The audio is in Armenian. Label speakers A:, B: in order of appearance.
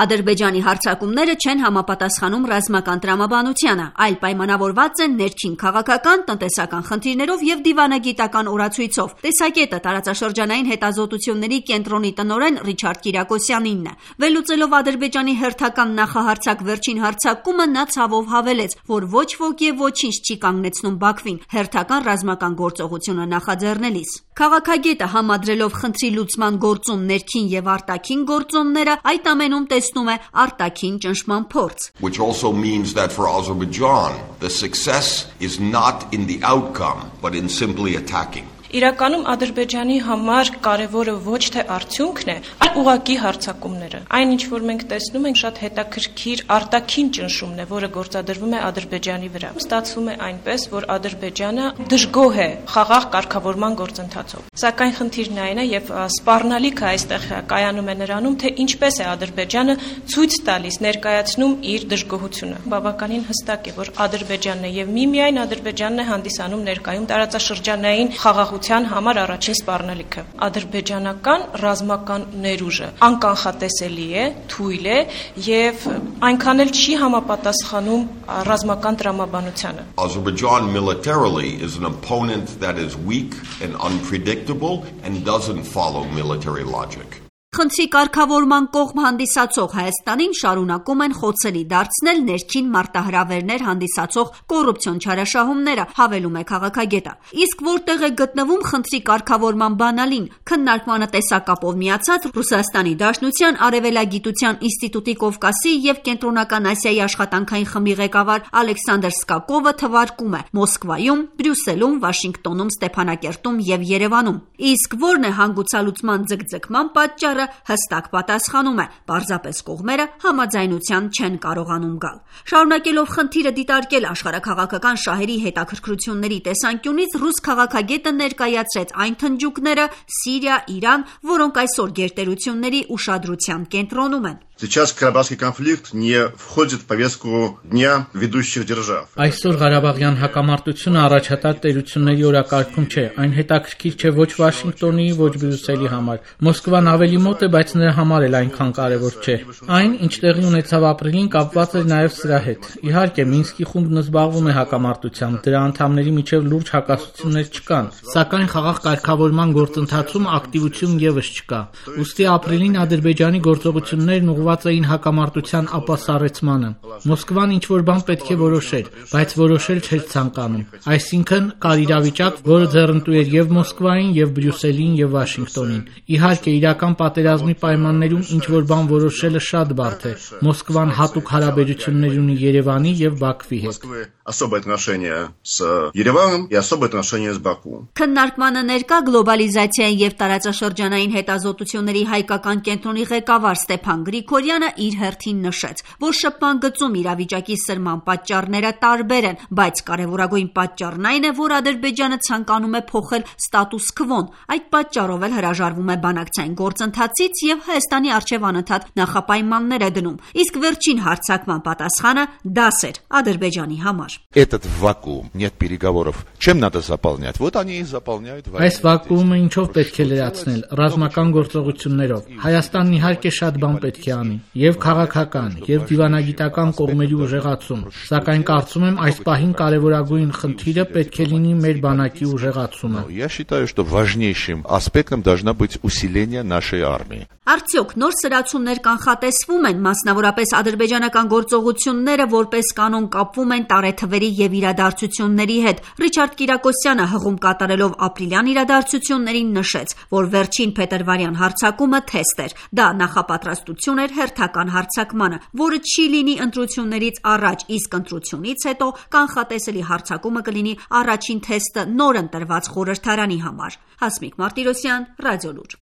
A: Ադրբեջանի հարձակումները չեն համապատասխանում ռազմական տրամաբանությանը, այլ պայմանավորված են ներքին քաղաքական, տնտեսական խնդիրներով եւ դիվանագիտական օրացույցով։ Տեսակետը տարածաշրջանային հետազոտությունների կենտրոնի տնօրեն Ռիչարդ Կիրակոսյանինն է։ Վերլուծելով Ադրբեջանի հերթական նախահարձակ վերջին հարձակումը, նա ցավով հավելեց, որ ոչ ոք եւ ոչինչ չի կանգնեցնում Բաքվին հերթական ռազմական գործողությունը նախաձեռնելիս։ Քաղաքագետը համադրելով խնդրի լուծման գործում ներքին եւ արտաքին գործոնները, այդ ամենում տեսնում է արտաքին ճնշման փորձ։
B: Which also means that for Azerbaijan, the success is not in the outcome, but in simply attacking.
C: Իրականում Ադրբեջանի համար կարևորը ոչ թե արդյունքն է, այլ ուղղակի հարձակումները։ Այն ինչ որ մենք տեսնում ենք, շատ հետաքրքիր արտաքին ճնշումն է, որը գործադրվում է Ադրբեջանի վրա։ Ստացվում է այնպես, որ Ադրբեջանը դժգոհ է խաղաղ կարգավորման գործընթացով։ Սակայն խնդիրն այն է, եւ սպառնալիքը այստեղ կայանում է նրանում, թե ինչպես է Ադրբեջանը ցույց տալիս, ներկայացնում իր դժգոհությունը։ Բավականին հստակ է, որ Ադրբեջանն է եւ միմիայն Ադրբեջանն է հանդիսանում ներկայում տարածաշրջանային խաղաղության համար առաջին սպառնալիքը։ Ադրբեջանական ռազմական ներուժը անկանխատեսելի է, թույլ է եւ այնքան էլ չի համապատասխանում ռազմական տրամաբանությանը։
B: Azerbaijan militarily is an opponent that is weak and unpredictable and doesn't follow military logic.
A: Խնդրի կարգավորման կողմ հանդիսացող Հայաստանին շարունակում են խոցելի դարձնել ներքին մարտահրավերներ հանդիսացող կոռուպցիոն չարաշահումները, հավելում է քաղաքագետը։ Իսկ որտեղ է գտնվում խնդրի կարգավորման բանալին, քննարկմանը տեսակապով միացած Ռուսաստանի Դաշնության Արևելագիտության ինստիտուտի Կովկասի եւ Կենտրոնական Ասիայի աշխատանքային խմբի ղեկավար Ալեքսանդր Սկակովը թվարկում է Մոսկվայում, Բրյուսելում, Վաշինգտոնում, Ստեփանակերտում եւ Երևանում։ Իսկ որն է հանգուցալուծման ձգձգման պատճառը, հստակ պատասխանում է, պարզապես կողմերը համաձայնության չեն կարողանում գալ։ Շարունակելով խնդիրը դիտարկել աշխարհաքաղաքական շահերի հետաքրքրությունների տեսանկյունից, ռուս քաղաքագետը ներկայացրեց այն թնջուկները Սիրիա, Իրան, որոնք այսօր գերտերությունների ուշադրության կենտրոնում են։
D: Сейчас Карабахский конфликт не входит в повестку дня ведущих держав.
E: Այսօր Ղարաբաղյան հակամարտությունը առաջատար տերությունների օրակարգում չէ, այն հետաքրքիր չէ ոչ Վաշինգտոնի, ոչ Բրյուսելի համար։ Մոսկվան ավելի մոտ է, բայց նրա համար էլ այնքան կարևոր չէ։ Այն, ինչ տեղի ունեցավ ապրիլին, կապված էր նաև սրա հետ։ Իհարկե, Մինսկի խումբն զբաղվում է հակամարտությամբ, դրա անդամների միջև լուրջ հակասություններ չկան, սակայն խաղաղ կարգավորման գործընթացում ակտիվություն եւս չկա։ Ուստի ապրիլին Ադրբեջանի գործողություններն ուղղված էին հակամարտության ապասառեցմանը։ Մոսկվան ինչ-որ բան պետք է որոշեր, բայց որոշել չէր ցանկանում։ Այսինքն կար իրավիճակ, որը ձեռնտու էր եւ Մոսկվային, եւ Բրյուսելին, եւ Վաշինգտոնին։ Իհարկե, իրական պատերազմի պայմաններում ինչ-որ բան որոշելը շատ բարդ է։ Մոսկվան հատուկ հարաբերություններ ունի Երևանի եւ Բաքվի հետ։
D: Особое отношение с Ереваном и особое отношение с Баку.
A: Քննարկմանը ներկա գլոբալիզացիայի եւ տարածաշրջանային հետազոտությունների հայկական կենտրոնի ղեկավար Ստեփան Գրիգորյանը իր հերթին նշեց, որ շփման գծում իրավիճակի սրման պատճառները տարբեր են, բայց կարևորագույն պատճառն այն է, որ Ադրբեջանը ցանկանում է փոխել ստատուս քվոն։ Այդ պատճառով էլ հրաժարվում է բանակցային գործընթացից եւ Հայաստանի արչեւ անընդհատ նախապայմաններ է դնում։ Իսկ վերջին հարձակման պատասխանը դաս էր Ադրբեջանի համար։
F: Этот вакуум, нет переговоров. Чем надо заполнять? Вот они и заполняют.
E: Այս վակուումը ինչով պետք է լրացնել, ռազմական գործողություններով։ Հայաստանն իհարկե շատ բան պետք է անի, եւ քաղաքական, եւ դիվանագիտական կողմերի ուժեղացում։ Սակայն կարծում եմ այս պահին կարևորագույն խնդիրը պետք է լինի մեր բանակի ուժեղացումը։
F: Я считаю, что важнейшим аспектом должна быть усиление нашей армии.
A: Արդյոք նոր սրացումներ կանխատեսվում են, մասնավորապես ադրբեջանական գործողությունները որպես կանոն կապվում են տարեթվերի եւ իրադարձությունների հետ։ Ռիչարդ Կիրակոսյանը հղում կատարելով ապրիլյան իրադարձություններին նշեց, որ վերջին փետրվարյան հարձակումը թեստ էր։ Դա նախապատրաստություն էր հերթական հարձակմանը, որը չի լինի ընտրություններից առաջ, իսկ ընտրությունից հետո կանխատեսելի հարձակումը կլինի առաջին թեստը նոր ընտրված խորհրդարանի համար։ Հասմիկ Մարտիրոսյան, Ռադիոլուր։